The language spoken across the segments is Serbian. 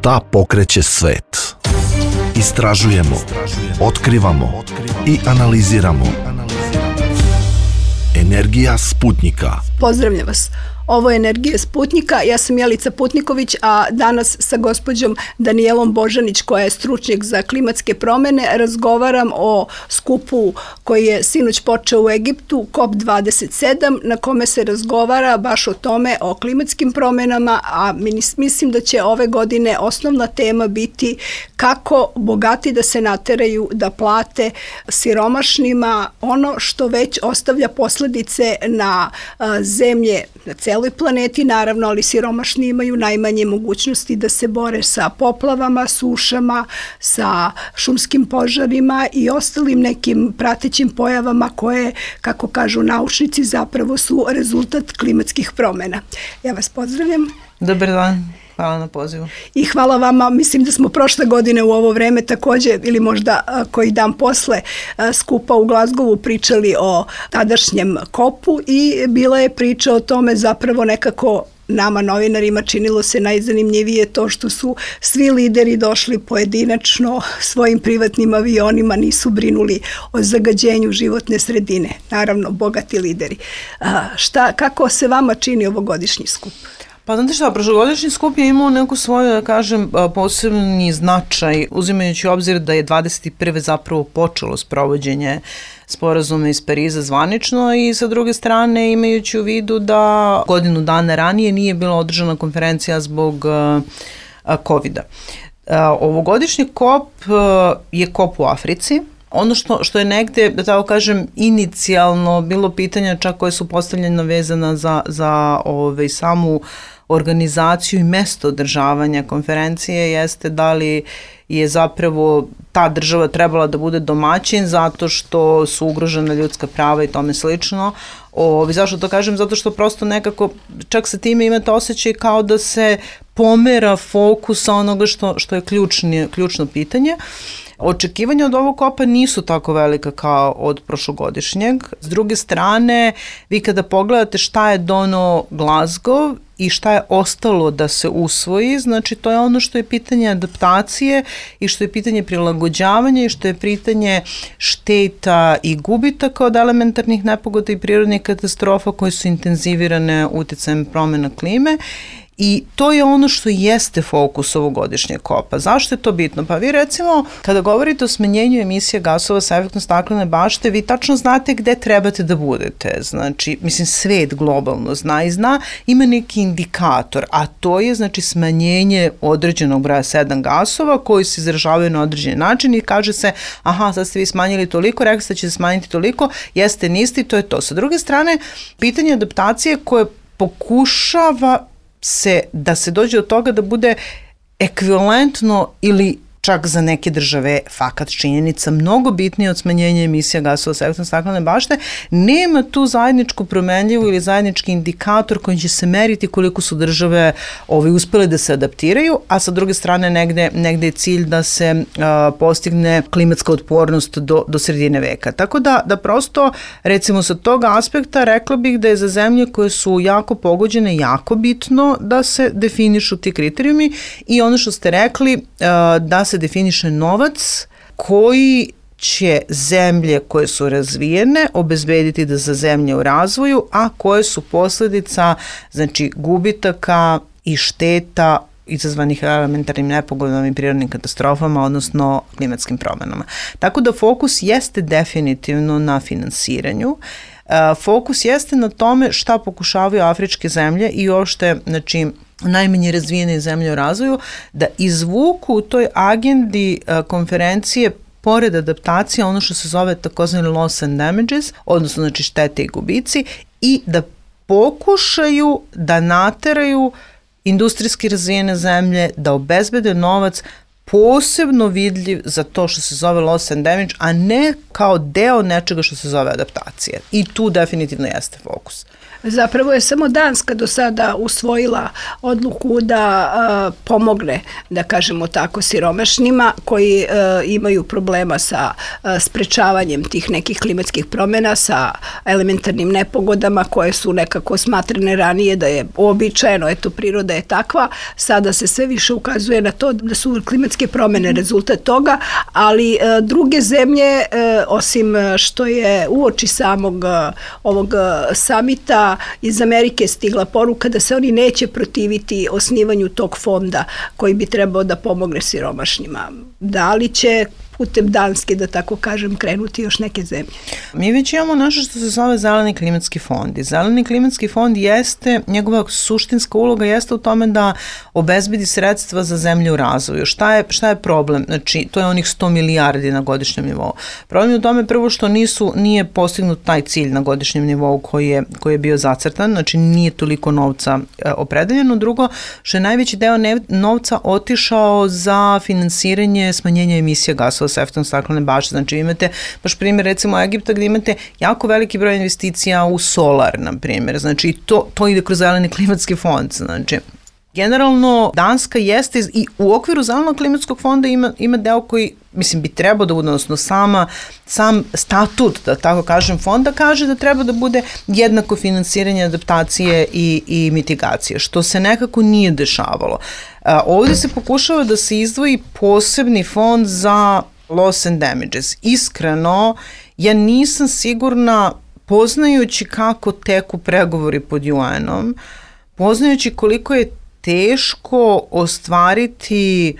Šta pokreće svet? Istražujemo, otkrivamo i analiziramo. Energija Sputnjika. Pozdravljam vas. Ovo je Energija Sputnjika. Ja sam Jelica Putniković, a danas sa gospođom Danijelom Božanić, koja je stručnjak za klimatske promene, razgovaram o skupu koji je sinoć počeo u Egiptu, COP27, na kome se razgovara baš o tome, o klimatskim promenama, a mislim da će ove godine osnovna tema biti kako bogati da se nateraju da plate siromašnima ono što već ostavlja posledice na zemlje, na celoj planeti, naravno, ali siromašni imaju najmanje mogućnosti da se bore sa poplavama, sušama, sa šumskim požarima i ostalim nekim pratećim pojavama koje, kako kažu naučnici, zapravo su rezultat klimatskih promena. Ja vas pozdravljam. Dobar dan. Hvala na pozivu. I hvala vama, mislim da smo prošle godine u ovo vreme takođe, ili možda koji dan posle skupa u Glazgovu pričali o tadašnjem kopu i bila je priča o tome zapravo nekako nama novinarima činilo se najzanimljivije to što su svi lideri došli pojedinačno svojim privatnim avionima, nisu brinuli o zagađenju životne sredine. Naravno, bogati lideri. Kako se vama čini ovogodišnji skup? Pa znate šta, prošlogodišnji skup je imao neku svoju, da kažem, posebni značaj, uzimajući u obzir da je 21. zapravo počelo sprovođenje sporazuma iz Pariza zvanično i sa druge strane imajući u vidu da godinu dana ranije nije bila održana konferencija zbog COVID-a. Ovogodišnji kop je kop u Africi. Ono što je negde, da tako kažem, inicijalno bilo pitanja čak koje su postavljena vezana za samu organizaciju i mesto održavanja konferencije jeste da li je zapravo ta država trebala da bude domaćin zato što su ugrožena ljudska prava i tome slično. Zašto to kažem? Zato što prosto nekako čak sa time imate osjećaj kao da se pomera fokus onoga što je ključno pitanje. Očekivanja od ovog kopa nisu tako velika kao od prošlogodišnjeg. S druge strane, vi kada pogledate šta je doneo Glazgov i šta je ostalo da se usvoji, znači to je ono što je pitanje adaptacije i što je pitanje prilagođavanja i što je pitanje šteta i gubitaka od elementarnih nepogoda i prirodnih katastrofa koje su intenzivirane uticajem promjena klime. I to je ono što jeste fokus ovogodišnjeg kopa. Zašto je to bitno? Pa vi recimo, kada govorite o smanjenju emisija gasova sa efektom staklene bašte, vi tačno znate gde trebate da budete. Znači, svet globalno zna, ima neki indikator, a to je znači smanjenje određenog broja 7 gasova koji se izražavaju na određen način i kaže se, aha, sad ste vi smanjili toliko, rekli ste da ćete smanjiti toliko, jeste, niste i to je to. Sa druge strane, pitanje adaptacije koje pokušava da se dođe od toga da bude ekvivalentno ili čak za neke države fakat činjenica mnogo bitnije od smanjenja emisija gasova sa efektom staklene bašte, nema tu zajedničku promenljivu ili zajednički indikator kojim će se meriti koliko su države uspele da se adaptiraju, a sa druge strane negde je cilj da se postigne klimatska otpornost do sredine veka. Tako da prosto, recimo sa tog aspekta, rekla bih da je za zemlje koje su jako pogođene jako bitno da se definišu ti kriterijumi i ono što ste rekli, da se definiše novac koji će zemlje koje su razvijene obezbediti da za zemlje u razvoju, a koje su posledica znači gubitaka i šteta izazvanih elementarnim nepogodama i prirodnim katastrofama, odnosno klimatskim promenama. Tako da fokus jeste definitivno na finansiranju. Fokus jeste na tome šta pokušavaju afričke zemlje i uopšte, znači, najmanje razvijene zemlje u razvoju, da izvuku u toj agendi konferencije pored adaptacije ono što se zove takozvani loss and damages, odnosno znači štete i gubici, i da pokušaju da nateraju industrijski razvijene zemlje da obezbede novac posebno vidljiv za to što se zove loss and damage, a ne kao deo nečega što se zove adaptacija. I tu definitivno jeste fokus. Zapravo je samo Danska do sada usvojila odluku da pomogne, da kažemo tako, siromašnima koji imaju problema sa sprečavanjem tih nekih klimatskih promjena, sa elementarnim nepogodama koje su nekako smatrane ranije da je uobičajeno, eto, priroda je takva. Sada se sve više ukazuje na to da su klimatske promjene rezultat toga, ali druge zemlje, osim što je uoči samog ovog samita, iz Amerike stigla poruka da se oni neće protiviti osnivanju tog fonda koji bi trebao da pomogne siromašnjima. Da li će putem Danske, da tako kažem, krenuti još neke zemlje? Mi već imamo nešto što se zove Zeleni klimatski fond. I Zeleni klimatski fond jeste, njegova suštinska uloga jeste u tome da obezbedi sredstva za zemlje u razvoju. Šta je problem? Znači, to je onih 100 milijardi na godišnjem nivou. Problem je u tome prvo što nije postignut taj cilj na godišnjem nivou koji je bio zacrtan, znači nije toliko novca opredeljeno. Drugo, što je najveći deo novca otišao za finansiranje smanjenja emisija gasova sa efektom staklene bašte. Znači imate baš primjer recimo Egipta gdje imate jako veliki broj investicija u solar, na primjer. Znači to ide kroz Zeleni klimatski fond. Znači generalno Danska jeste i u okviru Zelenog klimatskog fonda ima deo koji bi trebao da bude, odnosno sam statut, da tako kažem, fonda kaže da treba da bude jednako finansiranje adaptacije i mitigacije, što se nekako nije dešavalo. Ovdje se pokušava da se izdvoji posebni fond za loss and damages. Iskreno, ja nisam sigurna, poznajući kako teku pregovori pod UN-om, poznajući koliko je teško ostvariti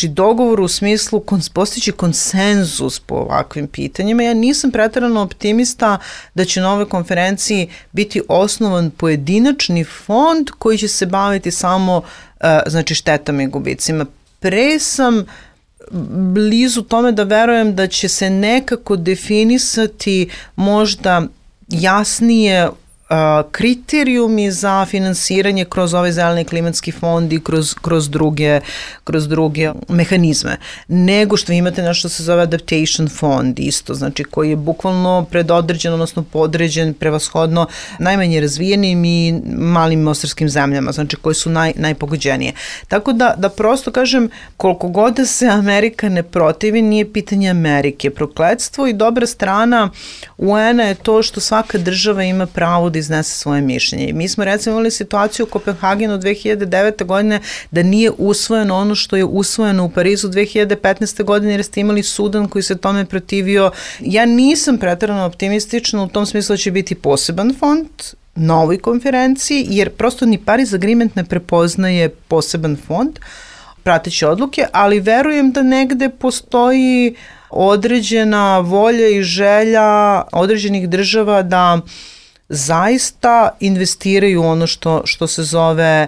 dogovor u smislu postići konsenzus po ovakvim pitanjima. Ja nisam preterano optimista da će na ovoj konferenciji biti osnovan pojedinačni fond koji će se baviti samo štetama i gubicima. Pre sam blizu tome da verujem da će se nekako definisati možda jasnije kriterijumi za finansiranje kroz ovaj Zeleni klimatski fond i kroz druge mehanizme, nego što imate nešto što se zove adaptation fond isto, znači koji je bukvalno predodređen, odnosno podređen prevashodno najmanje razvijenim i malim ostrvskim zemljama, znači koje su najpogođenije. Tako da prosto kažem, koliko god da se Amerika ne protivi, nije pitanje Amerike. Prokletstvo i dobra strana UN-a je to što svaka država ima pravo da iznese svoje mišljenje. I mi smo recimo imali situaciju u Kopenhagenu 2009. godine da nije usvojeno ono što je usvojeno u Parizu 2015. godine jer ste imali Sudan koji se tome protivio. Ja nisam preterano optimistična u tom smislu da će biti poseban fond na ovoj konferenciji jer prosto ni Paris Agreement ne prepoznaje poseban fond prateći odluke, ali verujem da negde postoji određena volja i želja određenih država da zaista investiraju ono što se zove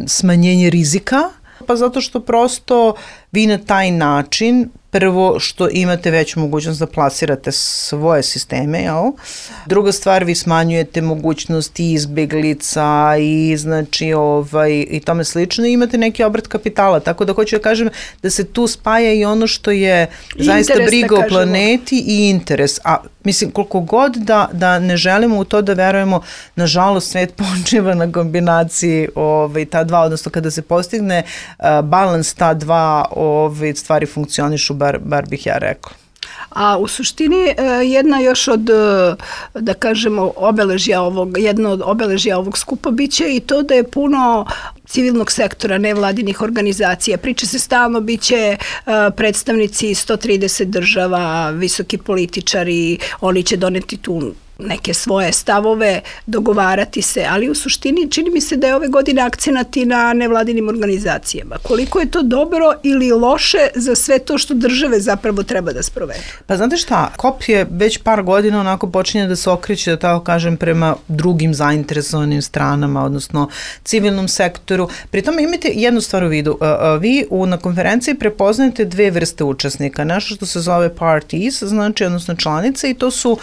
smanjenje rizika, pa zato što prosto vi na taj način prvo što imate veću mogućnost da plasirate svoje sisteme, jel? Druga stvar, vi smanjujete mogućnosti izbeglica i i tome slično i imate neki obrt kapitala, tako da hoću da kažem da se tu spaja i ono što je zaista briga o planeti i interes, a mislim koliko god da ne želimo u to da verujemo, nažalost svet počiva na kombinaciji ta dva, odnosno kada se postigne balans ta dva stvari funkcionišu, bar bih ja rekla. A u suštini jedna još od, da kažemo, jedno od obeležja ovog skupa biće i to da je puno civilnog sektora, nevladinih organizacija. Priča se stalno, biće predstavnici 130 država, visoki političari, oni će doneti tu neke svoje stavove, dogovarati se, ali u suštini čini mi se da je ove godine akcenat i na nevladinim organizacijama. Koliko je to dobro ili loše za sve to što države zapravo treba da sprovedu? Pa znate šta, COP je već par godina onako počinje da se okreće, da tako kažem, prema drugim zainteresovanim stranama, odnosno civilnom sektoru. Pri tome imate jednu stvar u vidu. Vi na konferenciji prepoznajete dve vrste učesnika. Nešto što se zove parties, odnosno članice, i to su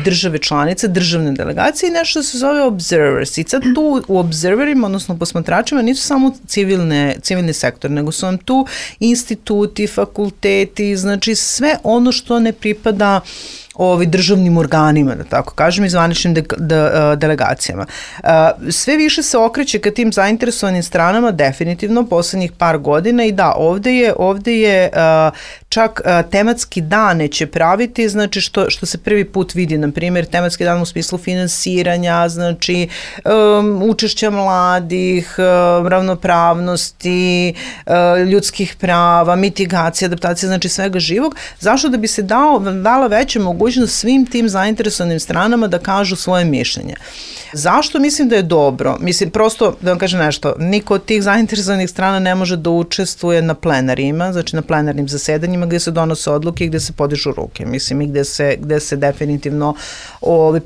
države članice, državne delegacije i nešto se zove observers. I sad tu u observerima, odnosno posmatračima, nisu samo civilni sektor, nego su vam tu instituti, fakulteti, znači sve ono što ne pripada državnim organima, da tako kažem, i zvaničnim delegacijama. Sve više se okreće ka tim zainteresovanim stranama definitivno poslednjih par godina i da, ovde je čak tematski dane će praviti, znači što se prvi put vidi, na primjer, tematski dan u smislu finansiranja, znači učešća mladih, ravnopravnosti, ljudskih prava, mitigacija, adaptacija, znači svega živog. Zašto? Da bi se dala veća mogućnost svim tim zainteresovanim stranama da kažu svoje mišljenje. Zašto mislim da je dobro? Mislim, prosto, da vam kažem nešto, niko od tih zainteresovanih strana ne može da učestvuje na plenarima, znači na plenarnim zasedanjima gde se donose odluke i gde se podižu ruke, mislim, i gde se definitivno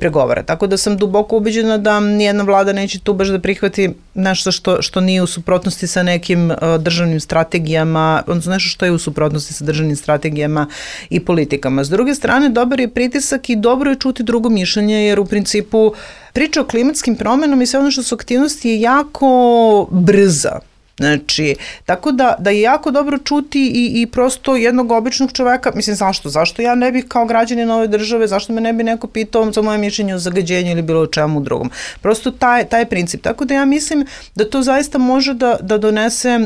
pregovara. Tako da sam duboko ubeđena da nijedna vlada neće tu baš da prihvati nešto što nije u suprotnosti sa nekim državnim strategijama, odnosno nešto što je u suprotnosti sa državnim strategijama i politikama. S druge strane, dobar je pritisak i dobro je čuti drugo mišljenje, jer u principu priča o klimatskim promenama i sve ono što su aktivnosti je jako brza. Znači, tako da je jako dobro čuti i prosto jednog običnog čoveka, mislim, zašto ja ne bih kao građanin ove države, zašto me ne bi neko pitao za moje mišljenje o zagađenju ili bilo o čemu drugom. Prosto taj princip. Tako da ja mislim da to zaista može da donese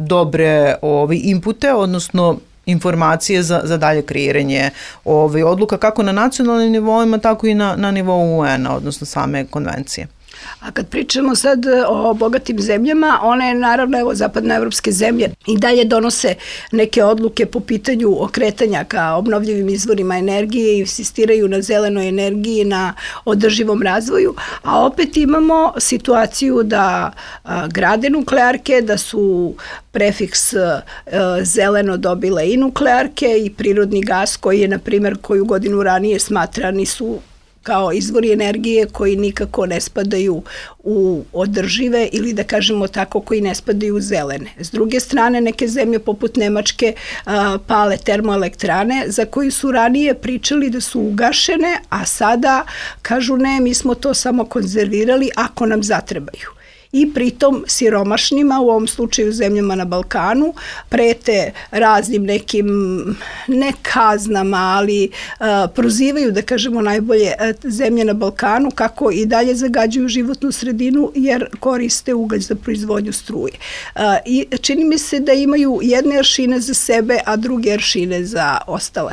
dobre inpute, odnosno informacije za dalje kreiranje odluka kako na nacionalnim nivoima, tako i na nivou UN-a, odnosno same konvencije. A kad pričamo sad o bogatim zemljama, one naravno, evo, zapadnoevropske zemlje i dalje donose neke odluke po pitanju okretanja ka obnovljivim izvorima energije i insistiraju na zelenoj energiji, na održivom razvoju, a opet imamo situaciju da grade nuklearke, da su prefiks zeleno dobile i nuklearke i prirodni gas koji je, na primjer, koju godinu ranije smatrani su kao izvori energije koji nikako ne spadaju u održive ili da kažemo tako koji ne spadaju u zelene. S druge strane, neke zemlje poput Nemačke pale termoelektrane za koju su ranije pričali da su ugašene, a sada kažu ne, mi smo to samo konzervirali ako nam zatrebaju. I pritom siromašnima, u ovom slučaju zemljama na Balkanu, prete raznim nekim, ne kaznama, ali prozivaju, da kažemo najbolje, zemlje na Balkanu kako i dalje zagađuju životnu sredinu jer koriste ugalj za proizvodnju struje. I čini mi se da imaju jedne aršine za sebe, a druge aršine za ostale.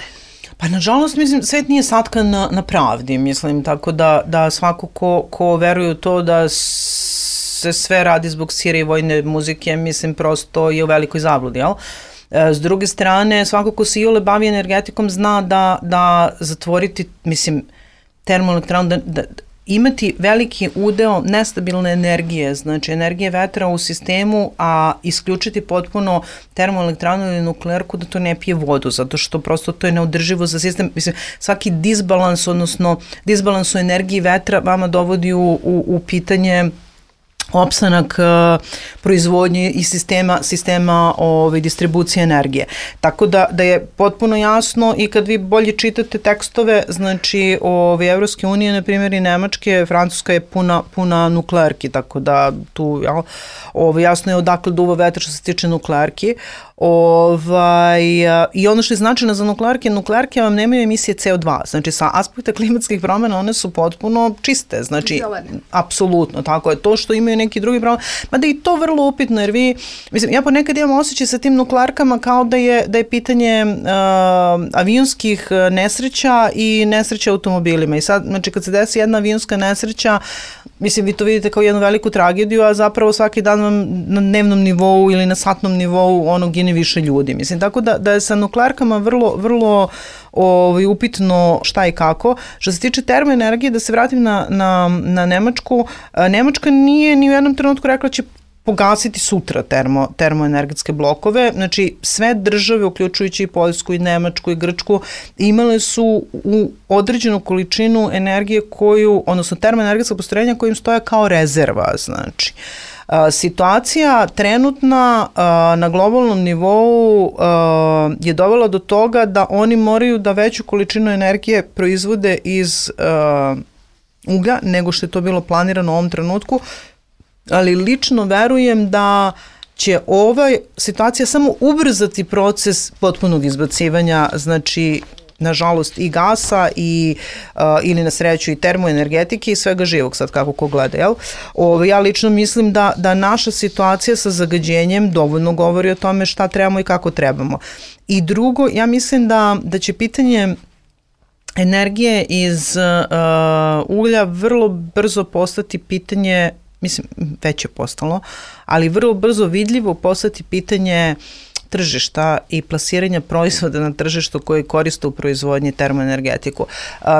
Pa nažalost, mislim, svet nije satkan na pravdi, mislim, tako da svako ko veruje u to da se sve radi zbog sire i vojne muzike, mislim, prosto je u velikoj zabludi, jel? S druge strane, svako ko se iole bavi energetikom zna da zatvoriti, mislim, termoelektranu, da imati veliki udeo nestabilne energije, znači energije vetra u sistemu, a isključiti potpuno termoelektranu ili nuklearku da to ne pije vodu, zato što prosto to je neodrživo za sistem. Mislim, svaki disbalans, odnosno disbalans u energiji vetra vama dovodi u pitanje opstanak proizvodnje i sistema distribucije energije. Tako da je potpuno jasno i kad vi bolje čitate tekstove, znači Evropske unije, na primjer i Nemačke, Francuska je puna nuklearki, tako da tu jasno je odakle duva vetar što se tiče nuklearki. I ono što je značajno za nuklearke vam nemaju emisije CO2, znači sa aspekta klimatskih promjena one su potpuno čiste, znači apsolutno, tako je, to što imaju neki drugi problem, mada i to vrlo upitno, jer mislim, ja ponekad imam osjećaj sa tim nuklearkama kao da je pitanje avionskih nesreća i nesreća automobilima i sad, znači kad se desi jedna avionska nesreća, mislim, vi to vidite kao jednu veliku tragediju, a zapravo svaki dan vam na dnevnom nivou ili na satnom nivou gine više ljudi. Mislim, tako da je sa nuklearkama vrlo upitno šta i kako. Što se tiče termoenergije, da se vratim na Nemačku, Nemačka nije ni u jednom trenutku rekla će pogasiti sutra termoenergetske blokove. Znači, sve države, uključujući i Poljsku i Nemačku i Grčku, imale su u određenu količinu energije odnosno termoenergetska postrojenja kojim stoja kao rezerva, znači. Situacija trenutna na globalnom nivou je dovela do toga da oni moraju da veću količinu energije proizvode iz uglja nego što je to bilo planirano u ovom trenutku, ali lično verujem da će ova situacija samo ubrzati proces potpunog izbacivanja, znači nažalost i gasa ili na sreću i termoenergetike i svega živog, sad kako ko gleda, jel? Ja lično mislim da naša situacija sa zagađenjem dovoljno govori o tome šta trebamo i kako trebamo. I drugo, ja mislim da će pitanje energije iz uglja vrlo brzo postati pitanje, mislim, već je postalo, ali vrlo brzo vidljivo postati pitanje tržišta i plasiranja proizvoda na tržištu koji koriste u proizvodnji termoenergetiku.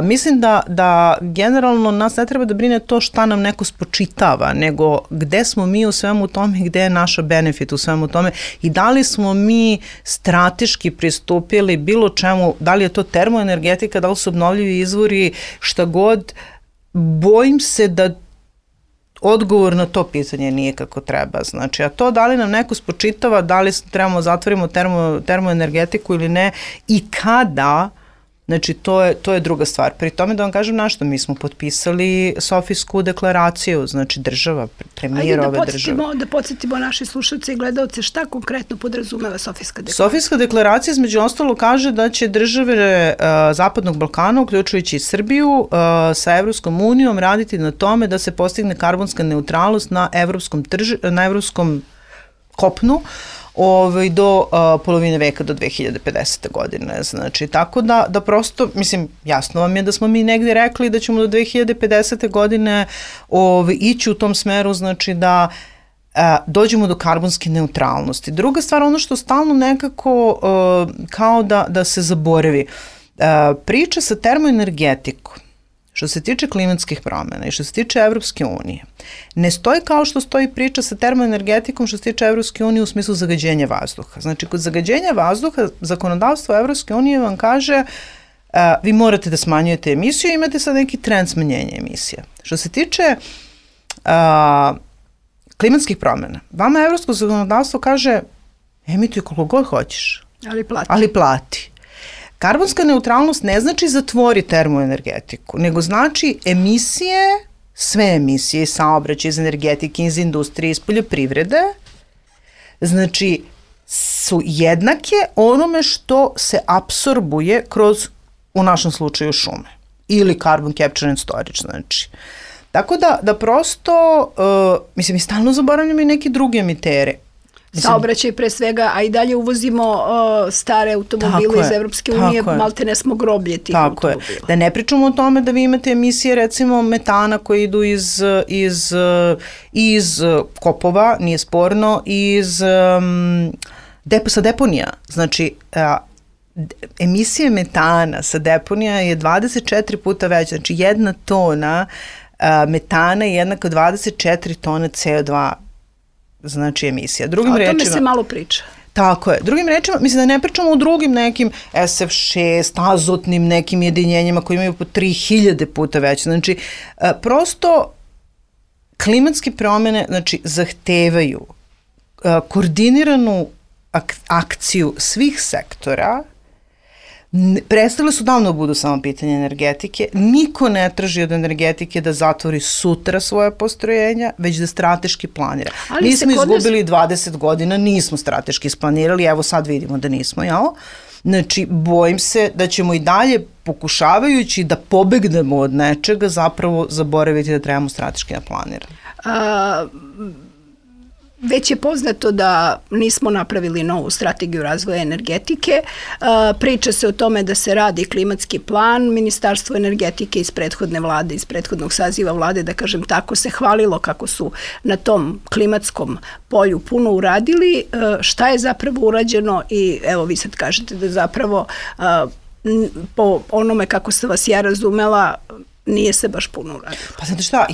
Mislim da generalno nas ne treba da brine to šta nam neko spočitava, nego gde smo mi u svemu tome i gde je naša benefit u svemu tome i da li smo mi strateški pristupili bilo čemu, da li je to termoenergetika, da li su obnovljivi izvori, šta god. Bojim se da odgovor na to pitanje nije kako treba. Znači, a to da li nam neko spočitava, da li trebamo zatvorimo termoenergetiku ili ne i kada, znači to je druga stvar. Pri tome da vam kažem nešto, mi smo potpisali Sofijsku deklaraciju, znači država, premijer ove države. Da podsjetimo naše slušalce i gledalce šta konkretno podrazumeva Sofijska deklaracija. Sofijska deklaracija između ostalo kaže da će države Zapadnog Balkana, uključujući i Srbiju, sa Evropskom unijom raditi na tome da se postigne karbonska neutralnost na evropskom kopnu do polovine veka, do 2050. godine. Znači, tako da prosto, mislim, jasno vam je da smo mi negde rekli da ćemo do 2050. godine ići u tom smeru, znači da dođemo do karbonske neutralnosti. Druga stvar, ono što stalno nekako kao da se zaboravi, priča sa termoenergetikom, što se tiče klimatskih promjena i što se tiče Evropske unije, ne stoji kao što stoji priča sa termoenergetikom što se tiče Evropske unije u smislu zagađenja vazduha. Znači, kod zagađenja vazduha, zakonodavstvo Evropske unije vam kaže vi morate da smanjujete emisiju i imate sad neki trend smanjenja emisija. Što se tiče klimatskih promjena, vama evropsko zakonodavstvo kaže emituj koliko god hoćeš, ali plati. Karbonska neutralnost ne znači zatvori termoenergetiku, nego znači emisije, sve emisije iz saobraćaja, iz energetike, iz industrije, iz poljoprivrede, znači su jednake onome što se apsorbuje kroz, u našem slučaju, šume ili carbon capture and storage, znači. Tako da prosto, mislim, mi stalno zaboravljamo i neki drugi emitere. Saobraćaj pre svega, a i dalje uvozimo stare automobile iz Evropske unije, malte ne smo groblje tih automobila. Da ne pričamo o tome da vi imate emisije recimo metana koje idu iz kopova, nije sporno, sa deponija. Znači, emisije metana sa deponija je 24 puta veća, znači 1 tona metana je jednako 24 tona CO2, znači emisija. O tome se malo priča. Tako je. Drugim rečima, mislim da ne pričamo o drugim nekim SF6, azotnim nekim jedinjenjima koji imaju po 3000 puta veće. Znači, prosto klimatske promjene, znači, zahtevaju koordiniranu akciju svih sektora. Prestale su davno da budu samo pitanje energetike. Niko ne traži od energetike da zatvori sutra svoje postrojenja, već da strateški planira. Mi smo izgubili 20 godina, nismo strateški isplanirali, evo sad vidimo da nismo, jel? Znači, bojim se da ćemo i dalje, pokušavajući da pobegnemo od nečega, zapravo zaboraviti da trebamo strateški da planiramo. Već je poznato da nismo napravili novu strategiju razvoja energetike. Priča se o tome da se radi klimatski plan. Ministarstvo energetike iz prethodne vlade, iz prethodnog saziva vlade, da kažem tako, se hvalilo kako su na tom klimatskom polju puno uradili. Šta je zapravo urađeno i evo vi sad kažete da zapravo po onome kako sam vas ja razumela, nije se baš puno uradilo. Pa znate šta,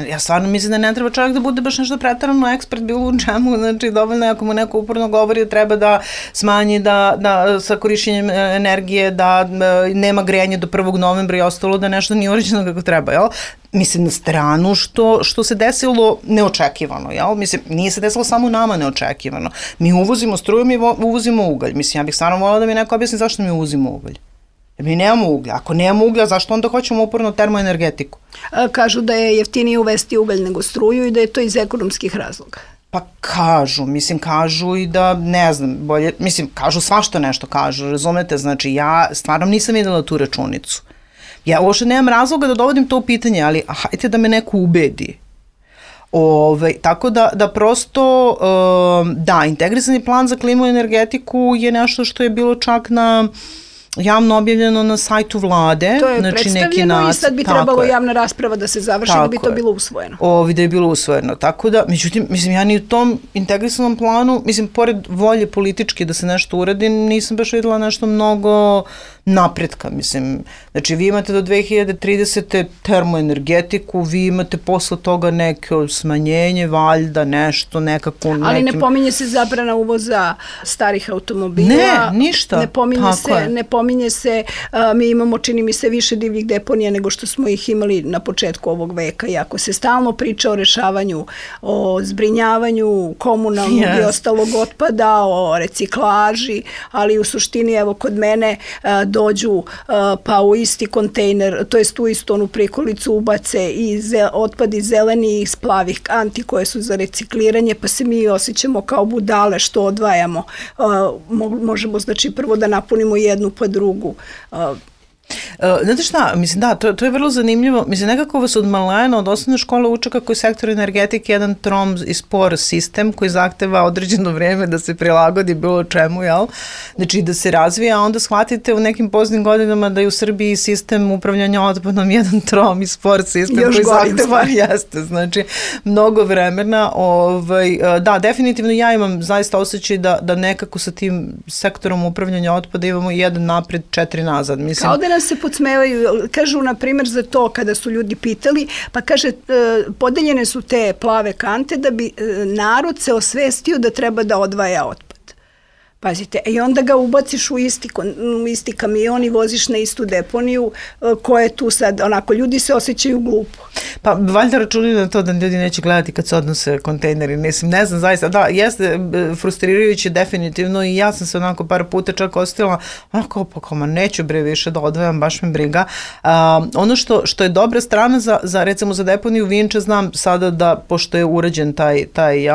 ja stvarno mislim da ne treba čovjek da bude baš nešto pretarano ekspert bilo u čemu, znači dovoljno je ako mu neko uporno govori da treba da smanji da sa korišćenjem energije, da nema grejanje do 1. novembra i ostalo, da nešto nije urađeno kako treba, jel? Mislim, na stranu što se desilo neočekivano, jel? Mislim, nije se desilo samo nama neočekivano. Mi uvozimo struju, mi uvozimo ugalj. Mislim, ja bih stvarno volila da mi neko objasni zašto mi uvozimo ugalj. Mi nemamo uglja. Ako nemamo uglja, zašto onda hoćemo uporno termoenergetiku? Kažu da je jeftinije uvesti ugalj nego struju i da je to iz ekonomskih razloga. Pa kažu i da, ne znam, bolje, kažu svašta nešto kažu, razumete, znači ja stvarno nisam videla tu računicu. Ja uopšte nemam razloga da dovodim to u pitanje, ali hajte da me neko ubedi. Tako da prosto, da, integrisani plan za klimu i energetiku je nešto što je bilo čak na javno objavljeno na sajtu vlade. To je predstavljeno i sad bi trebalo javna rasprava da se završi da bi to bilo usvojeno. Da je bilo usvojeno. Tako da, međutim, ja ni u tom integrisanom planu, pored volje političke da se nešto uradi, nisam baš videla nešto mnogo napretka, Znači, vi imate do 2030. termoenergetiku, vi imate posle toga neko smanjenje, valjda, nešto, nekako... Ali ne pominje se zabrana uvoza starih automobila. Ne, ništa. Ne pominje se, mi imamo, čini mi se, više divljih deponija nego što smo ih imali na početku ovog veka. I ako se stalno priča o rešavanju, o zbrinjavanju komunalnog i ostalog otpada, o reciklaži, ali u suštini, evo, kod mene dođu pa u isti kontejner, to jest u istu onu prikolicu ubace i otpad iz zelenih i iz plavih kanti koje su za recikliranje, pa se mi osjećamo kao budale što odvajamo. Možemo, znači, prvo da napunimo jednu pa drugu. Znate šta, to je vrlo zanimljivo. Nekako vas od malena, od osnovne škole uče kako je sektor energetike jedan trom i spor sistem koji zahteva određeno vreme da se prilagodi bilo čemu, jel? Znači da se razvija, a onda shvatite u nekim poznim godinama da je u Srbiji sistem upravljanja otpadom jedan trom i spor sistem koji zahteva, jeste, znači mnogo vremena. Da, definitivno ja imam zaista osjećaj da nekako sa tim sektorom upravljanja otpada imamo jedan napred, 4 nazad. Kao da nas se podsmevaju, kažu na primjer za to kada su ljudi pitali, pa kaže podeljene su te plave kante da bi narod se osvestio da treba da odvaja otpad. Pazite, i onda ga ubaciš u isti kamion i voziš na istu deponiju koja je tu sad, onako, ljudi se osjećaju glupo. Pa valjda računaju na to da ljudi neće gledati kad se odnose kontejneri, ne znam zaista, da, jeste frustrirajuće definitivno i ja sam se onako par puta čak ostila, onako, pa neću više da odvajam, baš me briga. Ono što je dobra strana recimo za deponiju Vinča, znam sada da, pošto je urađen taj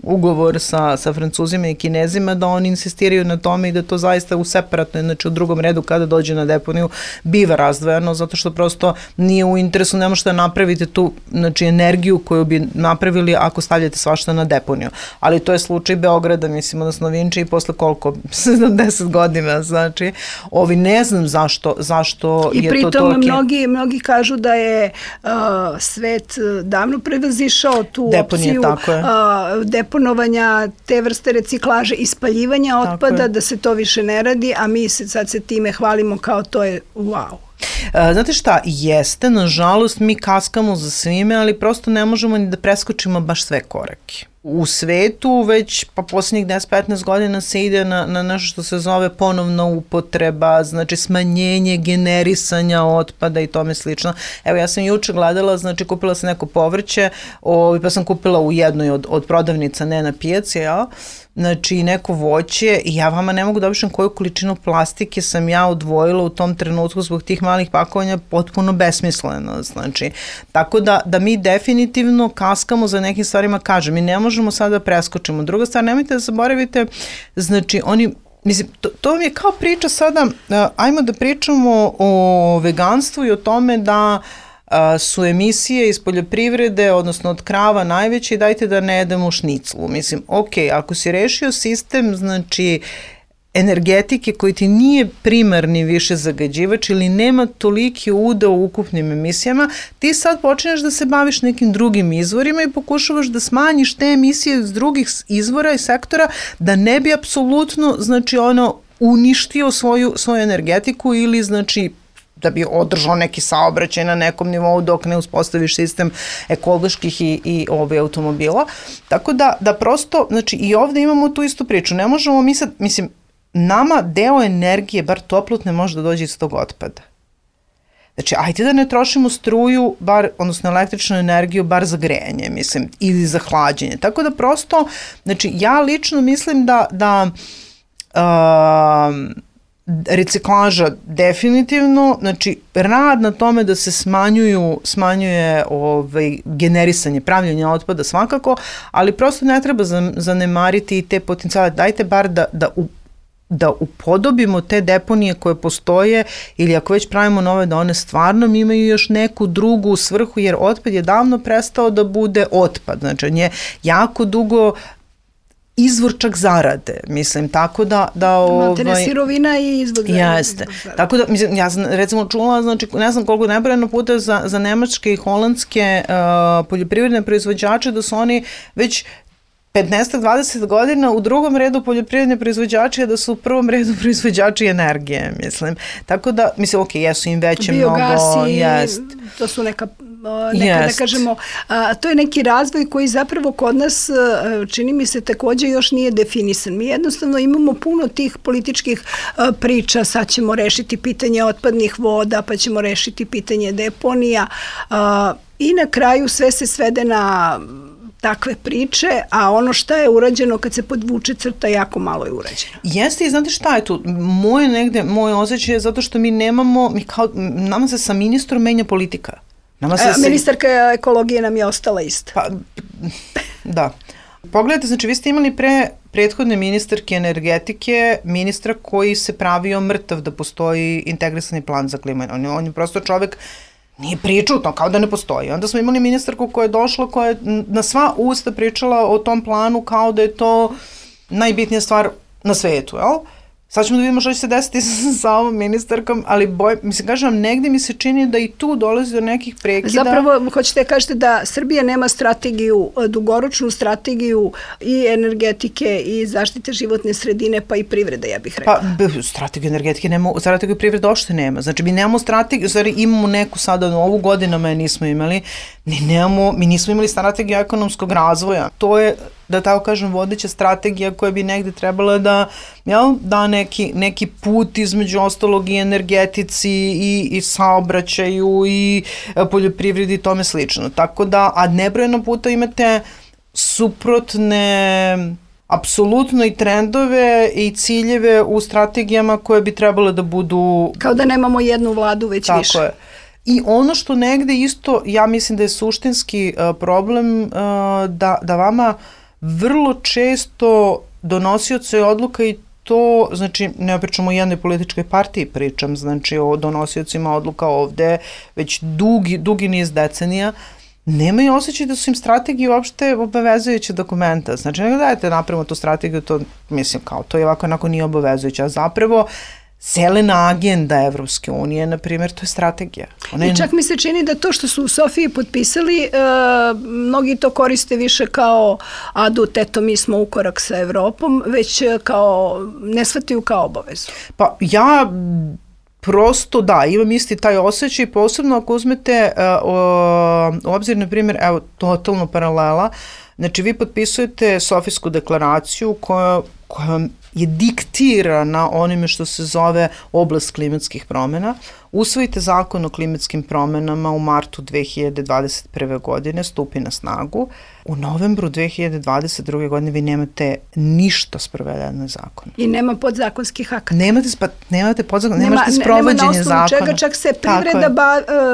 ugovor sa Francuzima i Kinezima, da oni insistiraju na tome i da to zaista u separatno, znači u drugom redu kada dođe na deponiju, biva razdvojeno, zato što prosto nije u interesu, ne možete napraviti tu, znači, energiju koju bi napravili ako stavljate svašta na deponiju. Ali to je slučaj Beograda, odnosno Vinče i posle koliko? 70 godina, znači, ne znam zašto je to toliki. I pritom mnogi kažu da je svet davno prevazišao tu opciju deponovanja te vrste reciklaže i spaljivanja otpada, da se to više ne radi, a mi sad se time hvalimo kao to je wow. Znate šta, jeste, nažalost mi kaskamo za svime, ali prosto ne možemo ni da preskočimo baš sve korake. U svetu već pa posljednjih 10-15 godina se ide na nešto što se zove ponovna upotreba, znači smanjenje generisanja otpada i tome slično. Evo, ja sam juče gledala, znači kupila sam neko povrće, pa sam kupila u jednoj od prodavnica, ne na pijaci, znači neko voće i ja vama ne mogu da opišem koju količinu plastike sam ja odvojila u tom trenutku zbog tih malih pakovanja, potpuno besmisleno, znači. Tako da mi definitivno kaskamo za nekim stvarima, kažem, mi ne možemo sada da preskočimo. Druga stvar, nemojte da zaboravite, znači oni, to vam je kao priča sada, ajmo da pričamo o veganstvu i o tome da su emisije iz poljoprivrede, odnosno od krava najveće i dajte da ne jedemo šniclu. Ako si rešio sistem, znači, energetike koji ti nije primarni više zagađivač ili nema toliki udeo u ukupnim emisijama, ti sad počinješ da se baviš nekim drugim izvorima i pokušavaš da smanjiš te emisije iz drugih izvora i sektora da ne bi apsolutno, znači, uništio svoju energetiku ili, znači, da bi održao neki saobraćaj na nekom nivou dok ne uspostaviš sistem ekoloških i automobila. Tako da prosto, znači i ovde imamo tu istu priču. Ne možemo mi sad, mislim, nama deo energije, bar toplotne, može da dođe iz tog otpada. Znači, ajde da ne trošimo struju, odnosno električnu energiju, bar za grejanje, mislim, ili za hlađenje. Tako da prosto, znači, ja lično mislim da reciklaža definitivno, znači, rad na tome da se smanjuje generisanje, pravljenje otpada svakako, ali prosto ne treba zanemariti i te potencijale. Dajte bar da upodobimo te deponije koje postoje ili ako već pravimo nove, da one stvarno imaju još neku drugu svrhu, jer otpad je davno prestao da bude otpad. Znači, on je jako dugo izvor čak zarade, mislim, tako da Materne sirovina i izvor zarade. Jeste. Tako da, mislim, ja sam recimo čula, znači, ne znam koliko nebrojeno puta za nemačke i holandske poljoprivredne proizvođače da su oni već 15-20 godina u drugom redu poljoprivredne proizvođače, da su u prvom redu proizvođači energije, mislim. Tako da, mislim, jesu im veće mnogo, jest. To su neka da kažemo, to je neki razvoj koji zapravo kod nas, čini mi se, takođe još nije definisan. Mi jednostavno imamo puno tih političkih priča, sad ćemo rešiti pitanje otpadnih voda, pa ćemo rešiti pitanje deponija i na kraju sve se svede na takve priče, a ono šta je urađeno kad se podvuče crta, jako malo je urađeno. Jeste, i znate šta je tu? Moj osjećaj je zato što mi nemamo, nama se sa ministrom menja politika. Ministarka ekologije nam je ostala ista. Pa, da. Pogledajte, znači vi ste imali prethodne ministarke energetike, ministra koji se pravio mrtav da postoji integrisani plan za klimu. On je prosto čovek nije pričao to, kao da ne postoji. Onda smo imali ministarku koja je došla, koja je na sva usta pričala o tom planu kao da je to najbitnija stvar na svetu, jel? Sad ćemo da vidimo što će se desiti sa ovom ministarkom, ali mislim, kažem vam, negde mi se čini da i tu dolazi do nekih prekida. Zapravo, hoćete kažete da Srbija nema strategiju, dugoročnu strategiju i energetike i zaštite životne sredine, pa i privrede, ja bih rekla. Pa, strategiju energetike nema, strategiju privrede uopšte nema. Znači, mi nemamo strategiju, stvari imamo neku sada, ovu godinama je nismo imali, mi nismo imali strategiju ekonomskog razvoja. To je, da tako kažem, vodeća strategija koja bi negde trebala da neki put između ostalog i energetici i saobraćaju i poljoprivredi i tome slično. Tako da, a nebrojeno puta imate suprotne apsolutno i trendove i ciljeve u strategijama koje bi trebale da budu... Kao da nemamo jednu vladu, već tako više. Tako je. I ono što negde isto, ja mislim da je suštinski problem da vama vrlo često donosioci odluka i to, znači ne pričamo o jednoj političkoj partiji, pričam znači o donosiocima odluka ovde već dugi niz decenija, nemaju osjećaj da su im strategije uopšte obavezujuće dokumenta. Znači nego dajte napravimo tu strategiju, to mislim kao to je ovako nije obavezujuće, a zapravo zelena agenda Evropske unije, na primjer, to je strategija. I čak mi se čini da to što su u Sofiji potpisali, mnogi to koriste više kao adut, eto mi smo u korak sa Evropom, već kao, ne shvataju kao obavezu. Pa ja prosto da, imam isti taj osjećaj, posebno ako uzmete u obzir, na primjer, evo, totalno paralela, znači vi potpisujete Sofijsku deklaraciju koja je diktirana onime što se zove oblast klimatskih promjena. Usvojite zakon o klimatskim promjenama u martu 2021. godine, stupi na snagu. U novembru 2022. godine vi nemate ništa sprovedeno zakon. I nema podzakonskih akata. Nemate podzakonskih, nemate sprovođenje zakona. Nema na osnovu čega čak se privreda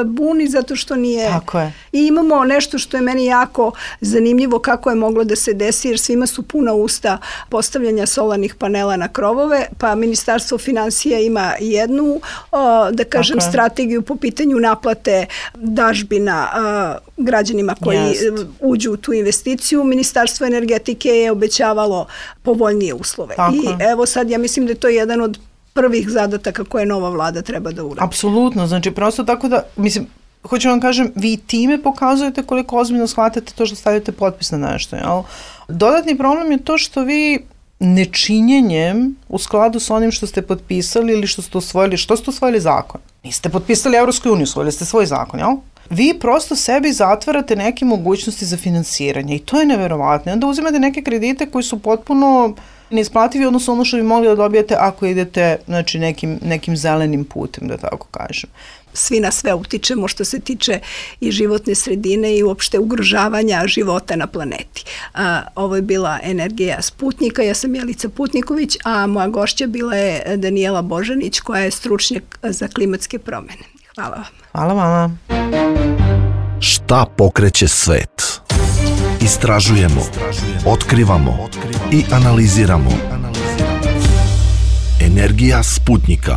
buni zato što nije. Tako je. I imamo nešto što je meni jako zanimljivo kako je moglo da se desi, jer svima su puna usta postavljanja solarnih panela na krovove, pa Ministarstvo finansija ima jednu, da kažem, strategiju po pitanju naplate dažbina građanima koji uđu u tu investiciju. Ministarstvo energetike je obećavalo povoljnije uslove. I evo sad ja mislim da je to jedan od prvih zadataka koje nova vlada treba da uradi. Apsolutno, znači prosto tako da, mislim, hoću vam kažem, vi time pokazujete koliko ozbiljno shvatate to što stavite potpis na nešto. Jel? Dodatni problem je to što vi nečinjenjem u skladu sa onim što ste potpisali ili što ste usvojili zakon. Niste potpisali Evropsku uniju, usvojili ste svoj zakon, jel? Vi prosto sebi zatvarate neke mogućnosti za finansiranje i to je neverovatno. Onda uzimate neke kredite koji su potpuno neisplativi, odnosno ono što bi mogli da dobijete ako idete nekim zelenim putem, da tako kažem. Svi na sve utičemo što se tiče i životne sredine i uopšte ugrožavanja života na planeti. Ovo je bila Energija Sputnika, ja sam Jelica Putniković, a moja gošća bila je Danijela Božanić koja je stručnjak za klimatske promene. Hvala vam. Hvala vama. Šta pokreće svet? Istražujemo, otkrivamo i analiziramo. Energija Sputnika.